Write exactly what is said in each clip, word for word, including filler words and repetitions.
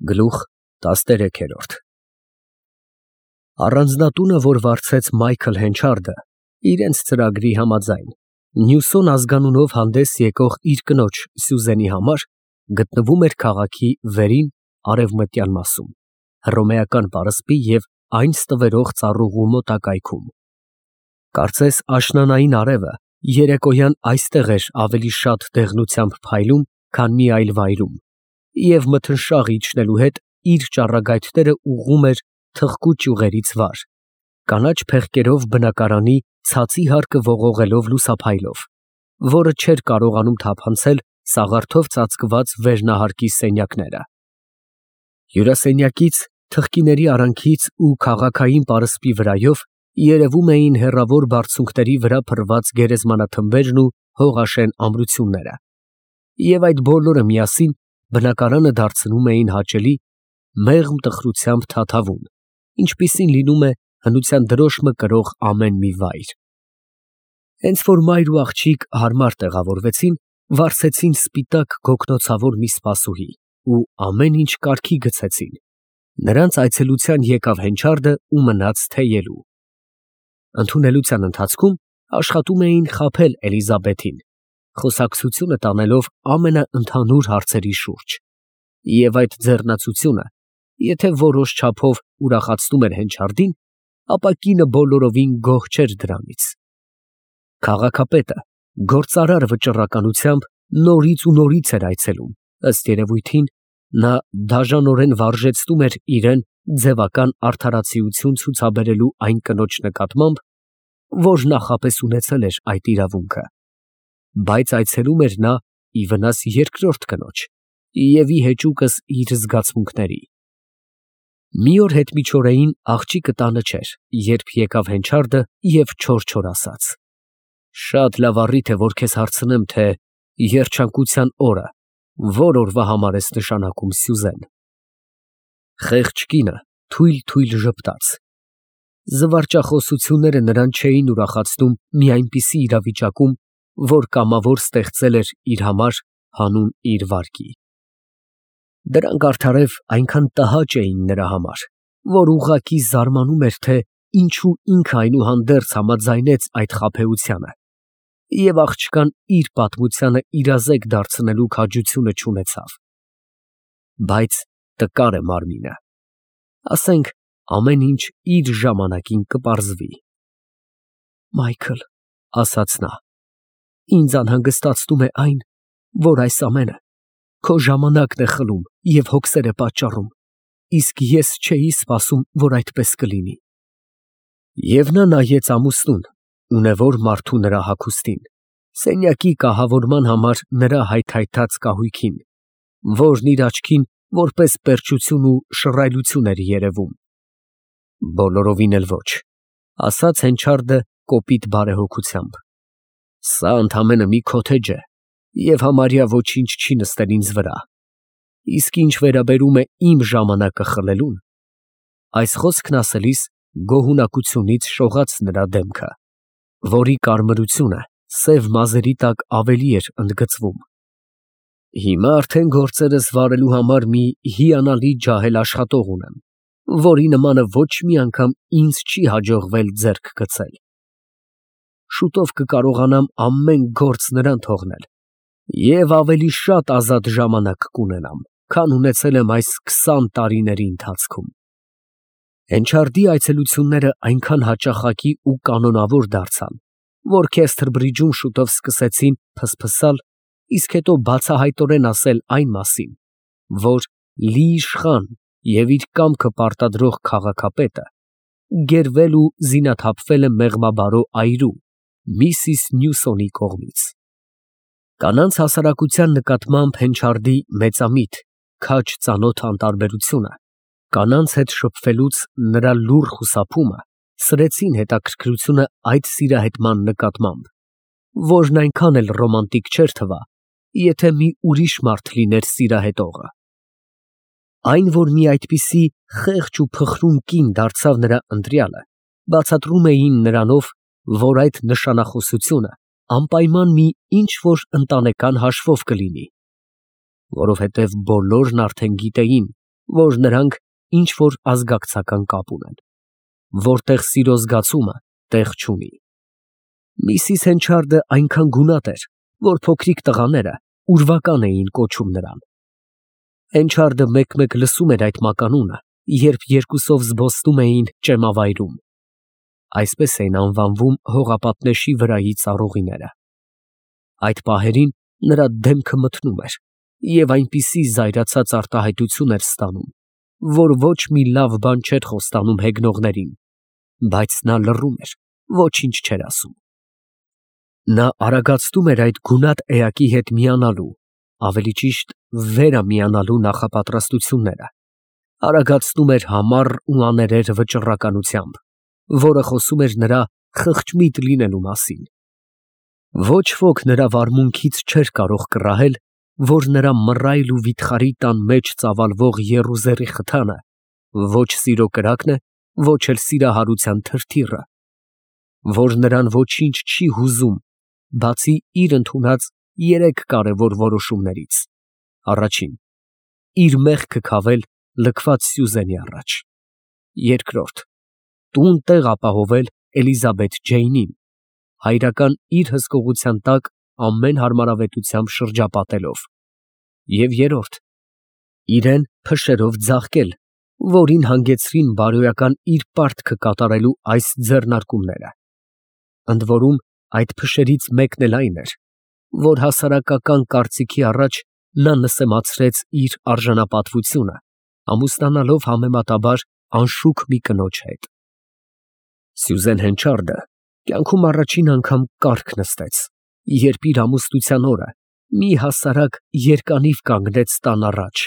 Գլուխ տասներեքերորդ Առանձնատունը, որ վարձեց Մայքլ Հենչարդը, իրենց ծրագրի համաձայն, Նյուսոն ազգանունով հանդես եկող իր կնոջ Սյուզենի համար, գտնվում էր քաղաքի վերին արևմտյան մասում, Հռոմեական պարսպի և այն ստվերող ծառուղու մոտակայքում։ Կարծես աշնանային արևը երեկոյան այստեղ էր ավելի շատ դեղնությամբ փայլում, քան մի այլ վայրում, և մթնշաղ իջնելու հետ իր ճառագայթները ուղղում էր թխկու ճյուղերից վար, կանաչ փեղկերով բնակարանի ցածի հարկը ողողելով լուսափայլով, որը չէր կարողանում թափանցել սաղարթով ծածկված վերնահարկի սենյակները։ Հյուրասենյակից, թխկիների արանքից ու քաղաքային պարսպի վրայով երևում էին հեռավոր բարձունքների վրա փռված գերեզմանաթմբերն ու հողաշեն ամրությունները, և այդ բոլորը միասին բնակարանը դարձնում էին հաճելի, մեղմ տխրությամբ թաթավուն, ինչպիսին լինում է հնության դրոշմը կրող ամեն մի վայր։ Հենց որ մայր ու աղջիկ հարմար տեղավորվեցին, վարձեցին սպիտակ գոգնոցավոր մի սպասուհի ու ամեն ինչ կարգի գցեցին։ Նրանց այցելության եկավ Հենչարդը ու մնաց թեյելու։ Ընդունելության ընթացքում աշխատում էին խաբել Էլիզաբեթին, խոսակցությունը տանելով ամենաընդհանուր հարցերի շուրջ, և այդ ձեռնացությունը, եթե որոշ չափով ուրախացնում էր Հենչարդին, ապա կինը բոլորովին գոհ չէր դրանից։ Քաղաքապետը գործարար վճռականությամբ նորից ու նորից էր այցելում, ըստ երևույթին, նա դաժանորեն վարժեցնում էր իրեն ձևական արդարացիություն ցուցաբերելու այն կնոջ նկատմամբ, որ նախապես ունեցել էր այդ իրավունքը, բայց այցելում էր նա ի վնաս երկրորդ կնոջ և ի հեճուկս իր զգացմունքների։ Մի օր հետմիջօրեին աղջիկը տանը չէր, երբ եկավ Հենչարդը և չոր-չոր ասաց. «Շատ լավ առիթ է, որ քեզ հարցնեմ, թե երջանկության օրը ո՞ր օրվա համար ես նշանակում, Սյուզեն»։ Խեղճ կինը թույլ֊թույլ ժպտաց։ Զվարճախոսությունները նրան չէին ուրախացնում մի այնպիսի իրավիճակում, որ կամավոր ստեղծել էր իր համար հանուն իր վարկի։ Դրանք արդարև այնքան տհաճ էին նրա համար, որ ուղղակի զարմանում էր, թե ինչու ինքը այնուհանդերձ համաձայնեց այդ խաբեությանը, և աղջկան իր պատմությանը իրազեկ դարձնելու քաջությունը չունեցավ։ Բայց տկար է մարմինը։ Ասենք, ամեն ինչ իր ժամանակին կպարզվի։ «Մայքլ, ֊ ասաց նա, ֊ ինձ անհանգստացնում է այն, որ այս ամենը քո ժամանակն է խլում և հոգսեր է պատճառում, իսկ ես չէի սպասում, որ այդպես կլինի»։ Եվ նա նայեց ամուսնուն, ունևոր մարդու նրա հագուստին, սենյակի կահավորման համար նրա հայթայթած կահույքին, որն իր աչքին որպես պերճություն ու շռայլություն էր երևում։ «Բոլորովին էլ ոչ», ֊ ասաց Հենչարդը կոպիտ բարեհոգությամբ։ «Սա ընդամենը մի քոթեջ է և համարյա ոչինչ չի նստել ինձ վրա, իսկ ինչ վերաբերում է իմ ժամանակը խլելուն…» Այս խոսքն ասելիս գոհունակությունից շողաց նրա դեմքը, որի կարմրությունը սև մազերի տակ ավելի էր ընդգծվում։ «Հիմա արդեն գործերս վարելու համար մի հիանալի ջահել աշխատող ունեմ, որի նմանը ոչ մի անգամ ինձ չի հաջողվել ձեռք գցել։ Շուտով կկարողանամ ամեն գործ նրան թողնել և ավելի շատ ազատ ժամանակ կունենամ, քան ունեցել եմ այս քսան տարիների ընթացքում»։ Հենչարդի այցելությունները այնքան հաճախակի ու կանոնավոր դարձան, որ Քեսթրբրիջում շուտով սկսեցին փսփսալ, իսկ հետո բացահայտորեն ասել այն մասին, որ լի իշխան և իր կամքը պարտադրող քաղաքապետը գերվել ու զինաթափվել է մեղմաբարո այրու, միսիս Նյուսոնի կողմից։ Կանանց հասարակության նկատմամբ Հենչարդի մեծամիտ, քաջ ծանոթ անտարբերությունը, կանանց հետ շփվելուց նրա լուռ խուսափումը սրեցին հետաքրքրությունը այդ սիրահետման նկատմամբ, որն այնքան էլ ռոմանտիկ չէր թվա, եթե մի ուրիշ մարդ լիներ սիրահետողը։ Այն, որ մի այդպիսի խեղճ ու փխրուն կին դարձավ նրա ընտրյալը, բացատրում էին նրանով, որ այդ նշանախոսությունը անպայման մի ինչ֊որ ընտանեկան հաշվով կլինի, որովհետև բոլորն արդեն գիտեին, որ նրանք ինչ-որ ազգակցական կապ ունեն։ Որտեղ սիրո զգացումը տեղ չունի։ Միսիս Հենչարդը այնքան գունատ էր, որ փոքրիկ տղաները ուրվական էին կոչում նրան։ Հենչարդը մեկ-մեկ լսում էր այդ մականունը, երբ երկուսով զբոսնում էին ճեմավայրում։ Այսպես էին անվանվում հողապատնեշի վրայի ծառուղիները։ Այդ պահերին նրա դեմքը մթնում էր և այնպիսի զայրացած արտահայտություն էր ստանում, որ ոչ մի լավ բան չէր խոստանում հեգնողներին, բայց նա լռում էր, ոչինչ չէր ասում։ Նա արագացնում էր այդ գունատ էակի հետ միանալու, ավելի ճիշտ վերամիանալու նախապատրաստությունները, արագացնում էր համառ ու աներեր վճռականությամբ, որը խոսում էր նրա խղճմիտ լինելու մասին։ Ոչ ոք նրա վարմունքից չէր կարող կռահել, որ նրա մռայլ ու վիթխարի տան մեջ ծավալվող եռուզեռի խթանը ոչ սիրո կրակն է, ոչ էլ սիրահարության թրթիռը, որ նրան ոչինչ չի հուզում, բացի իր ընդունած երեք կարևոր որոշումներից. առաջին, իր մեղքը քավել լքված Սյուզենի առաջ, երկրորդ, տուն տեղ ապահովել Էլիզաբեթ Ջեյնին, հայրական իր հսկողության տակ ամեն հարմարավետությամբ շրջապատելով, և երրորդ, իրեն փշերով ձաղկել, որին հանգեցրին բարոյական իր պարտքը կատարելու այս ձեռնարկումները։ Ընդ որում այդ փշերից մեկն էլ այն էր, որ հասարակական կարծիքի առաջ նա նսեմացրեց իր արժանապատվությունը, ամուսնանալով համեմատաբար անշուք մի կնոջ հետ։ Սյուզեն Հենչարդը կյանքում առաջին անգամ կառք նստեց, երբ իր ամուսնության օրը մի հասարակ երկանիվ կանգնեց տան առաջ,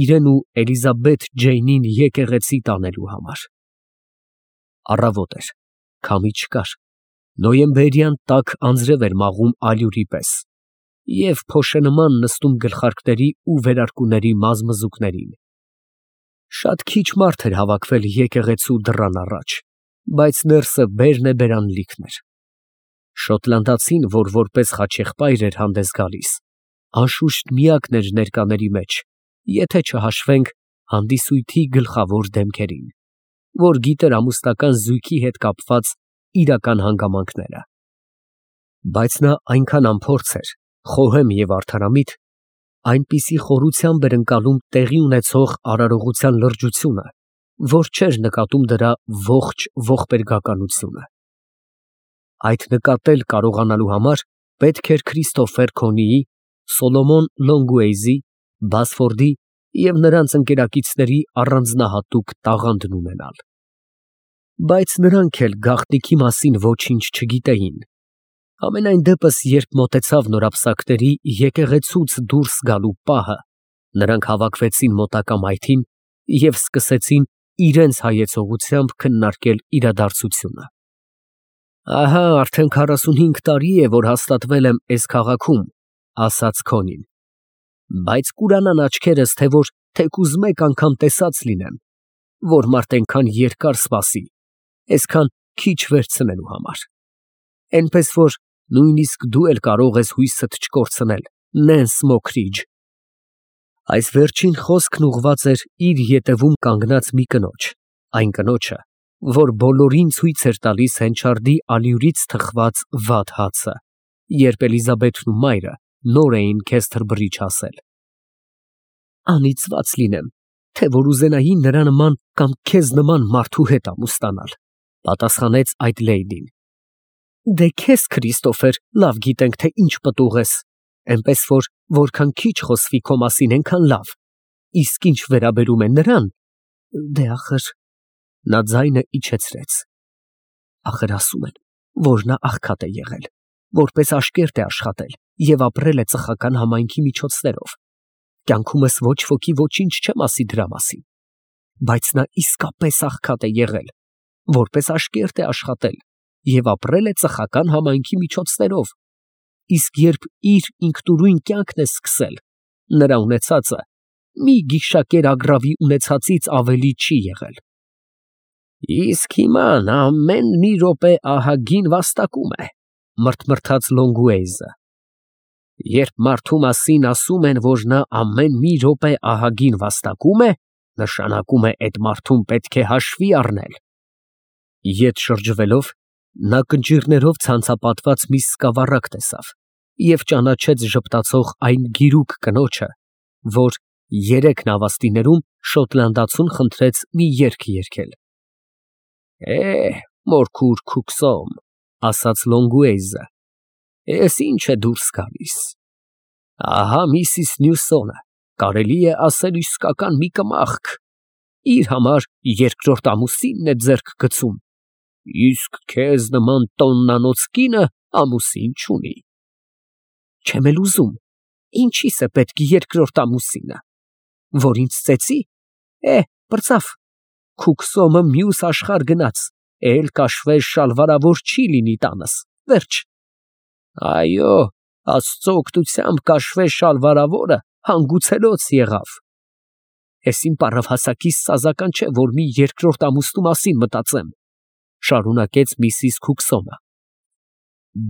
իրեն ու Էլիզաբեթ Ջեյնին եկեղեցի տանելու համար։ Առավոտ էր, քամի չկար, նոյեմբերյան տաք անձրև էր մաղում ալյուրի պես և փոշենման նստում գլխարկների ու վերարկուների մազմզուկներին։ Շատ քիչ մարդ էր հավաքվել եկեղեցու դռան առաջ, բայց ներսը բերնեբերան լիքն էր։ Շոտլանդացին, որ որպես խաչեղբայր էր հանդես գալիս, անշուշտ միակն էր ներկաների մեջ, եթե չհաշվենք հանդիսույթի գլխավոր դեմքերին, որ գիտեր ամուսնական զույգի հետ կապված իրական հանգամանքները։ Բայց նա այնքան անփորձ էր, խոհեմ և արդարամիտ, այնպիսի խորությամբ էր ընկալում տեղի ունեցող արարողության լրջությունը, որ չէր նկատում դրա ողջ ողբերգականությունը։ Այդ նկատել կարողանալու համար պետք էր Քրիստոֆեր Քոնիի, Սոլոմոն Լոնգուեյզի, Բասֆորդի և նրանց ընկերակիցների առանձնահատուկ տաղանդն ունենալ։ Բայց նրանք էլ գաղտնիքի մասին ոչինչ չգիտեին։ Համենայն դեպս, երբ մոտեցավ նորապսակների եկեղեցուց դուրս գալու պահը, նրանք հավաքվեցին մոտակա մայթին և սկսեցին իրենց հայեցողությամբ քննարկել իրադարձությունը։ «Ահա արդեն քառասունհինգ տարի է, որ հաստատվել եմ էս քաղաքում», ֊ ասաց Քոնին, ֊ բայց կուրանան աչքերս, թե որ թեկուզ մեկ անգամ տեսած լինեմ, որ մարդ էնքան երկար սպասի, էսքան քիչ վերցնելու համար, էնպես որ նույնիսկ դու էլ կարող ես հույսդ չկորցնել, Նենս Մոքրիջ։ Այս վերջին խոսքն ուղղված էր իր ետևում կանգնած մի կնոջ, այն կնոջը, որ բոլորին ցույց էր տալիս Հենչարդի ալյուրից թխված վատ հացը, երբ Էլիզաբեթն ու մայրը նոր էին Քեսթերբրիջ հասել։ Անիծված լինեմ, թե որ ուզենայի նրա նման կամ քեզ նման մարդու հետ ամուսնանալ, պատասխանեց այդ լեյդին։ Դե քեզ, Քրիստոֆեր, լավ գիտենք, թե ինչ պտուղ ես, էնպես որ որքան քիչ խոսվի քո մասին, այնքան լավ, իսկ ինչ վերաբերում է նրան, դե ախր… Նա ձայնը իջեցրեց։ Ախր ասում են, որ նա աղքատ է եղել, որպես աշկերտ է աշխատել և ապրել է ծխական համայնքի միջոցներով։ Կյանքումս ոչ ոքի ոչինչ չեմ ասի դրա մասին, բայց նա իսկապես աղքատ է եղել, որպես աշկերտ է աշխատել և ապրել է ծխական համայնքի միջոցներով, իսկ երբ իր ինքնուրույն կյանքն է սկսել, նրա ունեցածը մի գիշակեր ագռավի ունեցածից ավելի չի եղել։ Իսկ հիմա նա ամեն մի րոպե ահագին վաստակում է, մրթմրթաց Լոնգուեյզը։ Երբ մարդու մասին ասում են, որ նա ամեն մի րոպե ահագին վաստակում է, Նշանակում է այդ մարդուն պետք է հաշվի առնել։ Ետ շրջվելով, նա կնճիռներով ցանցապատված մի սկավառակ տեսավ և ճանաչեց ժպտացող այն գիրուկ կնոջը, որ երեք նավաստիներում շոտլանդացուն խնդրեց մի երգ երգել։ «Է, մորքուր քուքսոմ», ասաց Լոնգուեյզը, «ես ինչ է դուրս գալիս։ Ահա Միսիս Նյուսոնը, կարելի է ասել իսկական մի կմախք, իր համար երկրորդ ամուսինն է ձեռք գցում, իսկ քեզ նման տոննանոց կինը ամուսին չունի։ Չեմ էլ ուզում, ինչի՞ս է պետք երկրորդ ամուսինը, որ ինձ ծեծի։ Է, պրծավ, քուքսոմը մյուս աշխարհ գնաց, էլ կաշվե շալվարավոր չի լինի տանս, վերջ։ Այո, Աստծո օգնությամբ կաշվե շալվարավորը հանգուցելոց եղավ։ Ես իմ պառավհասակիս սազական չէ, որ մի երկրորդ ամուսնու մասին մտածեմ, շարունակեց միսիս Քուքսոմը,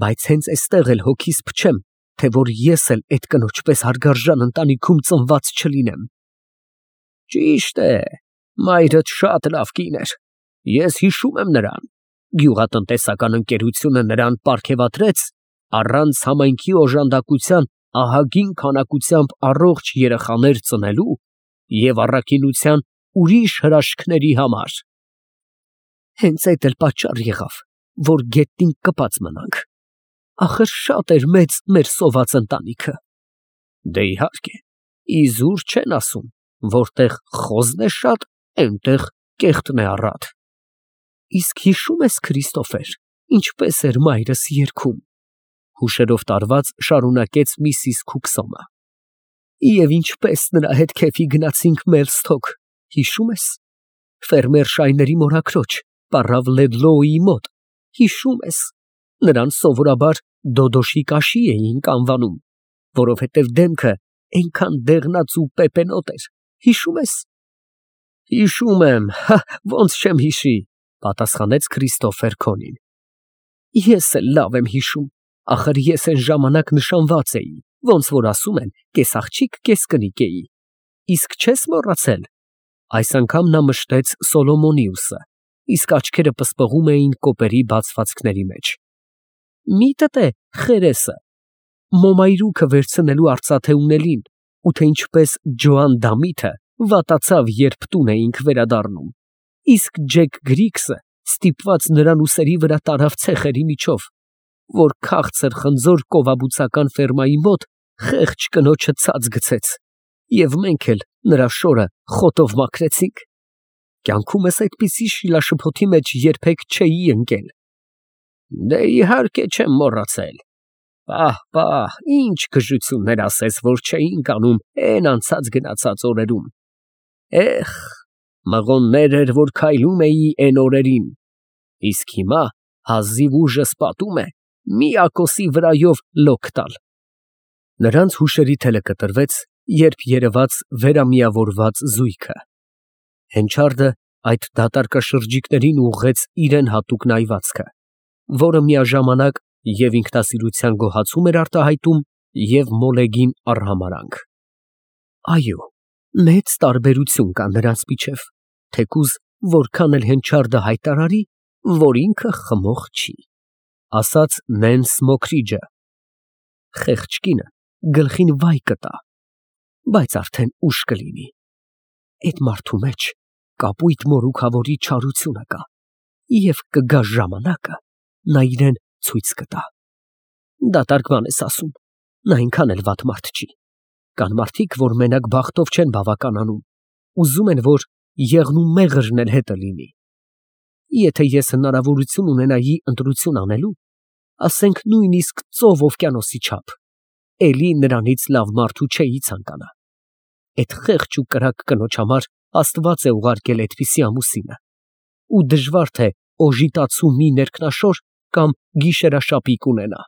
բայց հենց էստեղ էլ հոգիս փչեմ, թե որ ես էլ այդ կնոջ պես հարգարժան ընտանիքում ծնված չլինեմ։ Ճիշտ է, մայրդ շատ լավ կին էր, ես հիշում եմ նրան, գյուղատնտեսական ընկերությունը նրան պարգևատրեց առանց համայնքի օժանդակության ահագին քանակությամբ առողջ երեխաներ ծնելու և առաքինության ուրիշ հրաշքների համար։ Հենց այդ էլ պատճառ եղավ, որ գետնին կպած մնանք, ախր շատ էր մեծ մեր սոված ընտանիքը։ Դե իհարկե, իզուր չեն ասում, որտեղ խոզն է շատ, այնտեղ կեղտն է առատ։ Իսկ հիշո՞ւմ ես, Քրիստոֆեր, ինչպես էր մայրս երգում, հուշերով տարված շարունակեց միսիս Քուքսոմը։ Եվ ինչպես նրա հետ քեֆի գնացինք Մելսթոք, հիշո՞ւմ ես, ֆերմեր Շայների մորաքրոջ, պառավ Լեդլոուի մոտ, հիշո՞ւմ ես, նրան սովորաբար Դոդոշի կաշի էինք անվանում, որովհետև դեմքը այնքան դեղնած ու պեպենոտ էր, հիշո՞ւմ ես։ Հիշում եմ, ոնց չեմ հիշի, պատասխանեց Քրիստոֆեր Քոնին։ Ես էլ լավ եմ հիշում, ախր ես այն ժամանակ նշանված էի, ոնց որ ասում են, կես աղջիկ, կես կնիկ էի։ Իսկ չես մոռացել։ Այս անգամ նա մշտեց Սոլոմոնիուսը, իսկ աչքերը պսպղում էին կոպերի բացվածքների մեջ։ Միտդ է խերեսը, մոմայրուքը վերցնելու արծաթե ունելին, ու թե ինչպես Ջոան Դամիթը վատացավ, երբ տուն էինք վերադառնում, իսկ Ջեք Գրիգսը ստիպված նրան ուսերի վրա տարավ ցեխերի միջով, որ քաղցր խնձոր կովաբուծական ֆերմայի մոտ խեղճ կնոջը ցած գցեց, և մենք էլ նրա շորը խոտով մաքրեցինք։ Կյանքումս այդպիսի շիլաշփոթի մեջ երբեք չէի ընկել։ Դե իհարկե չեմ մոռացել։ Պահ, պահ, ինչ գժություններ ասես, որ չէինք անում էն անցած գնացած օրերում։ Էխ, մղոններ էր, որ քայլում էի էն օրերին, իսկ հիմա հազիվ ուժս պատում է մի ակոսի վրայով լոկ տալ։ Նրանց հուշերի թելը կտրվեց, երբ երևաց վերամիավորված զույգը։ Հենչարդը այդ դատարկաշրջիկներին ուղղեց իրեն հատուկ նայվածքը, որը միաժամանակ և ինքնասիրության գոհացում էր արտահայտում, և մոլեգին արհամարհանք։ Այո, մեծ տարբերություն կա նրանց միջև, թեկուզ որքան էլ Հենչարդը հայտարարի, որ ինքը խմող չի, ասաց Նենս Մոքրիջը։ Խեղճ կինը գլխին վայ կտա, բայց արդեն ուշ կլինի։ Այդ մարդու մեջ կապույտ մորուքավորի չարությունը կա, և կգա ժամանակը, նա իրեն ցույց կտա։ Դատարկ բան ես ասում, նա այնքան էլ վատ մարդ չի։ Կան մարդիկ, որ մենակ բախտով չեն բավականանում, ուզում են, որ եղն ու մեղրն էլ հետը լինի։ Եթե ես հնարավորություն ունենայի ընտրություն անելու, ասենք նույնիսկ ծով օվկիանոսի չափ, էլի նրանից լավ մարդու չէի ցանկանա։ Այդ խեղճ ու կրակ կնոջ համար Աստված է ուղարկել այդպիսի ամուսինը, ու դժվար թե օժիտացու մի ներքնաշոր կամ գիշերաշապիկ ունենա։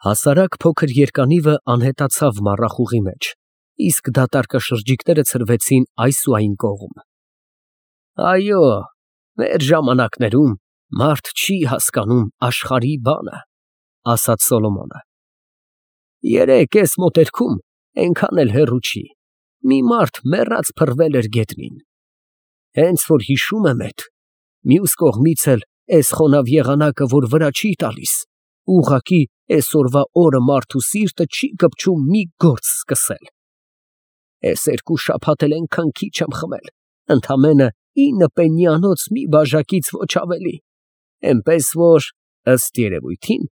Հասարակ փոքր երկանիվը անհետացավ մառախուղի մեջ, իսկ դատարկաշրջիկները ցրվեցին այս ու այն կողմ։ Այո, մեր ժամանակներում մարդ չի հասկանում աշխարհի բանը, ասաց Սոլոմոնը։ Երեկ էս մոտերքում այնքան էլ հեռու չի, մի մարդ մեռած փռվել էր գետնին։ Հենց որ հիշում եմ էդ, մյուս կողմից էլ էս խոնավ եղանակը, որ վրա չի տալիս, ուղղակի էսօրվա օրը մարդու սիրտը չի կպչում մի գործ սկսել։ Էս երկու շաբաթ էլ էնքան քիչ եմ խմել, ընդամենը ինը պեննիանոց մի բաժակից ոչ ավելի, էնպես որ, ըստ երևույթին,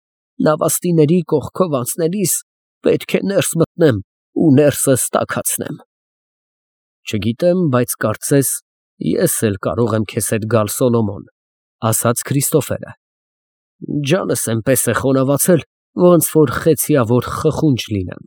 նավաստիների կողքով անցնելիս պետք է ներս մտնեմ ու ներսս տաքացնեմ։ Չգիտեմ, բայց կարծես ես էլ կարող եմ քեզ հետ գալ, Սոլոմոն, ասաց Քրիստոֆերը։ Ջանս էնպես է խոնավացել, ոնց որ խեցիավոր խխունջ լինեմ։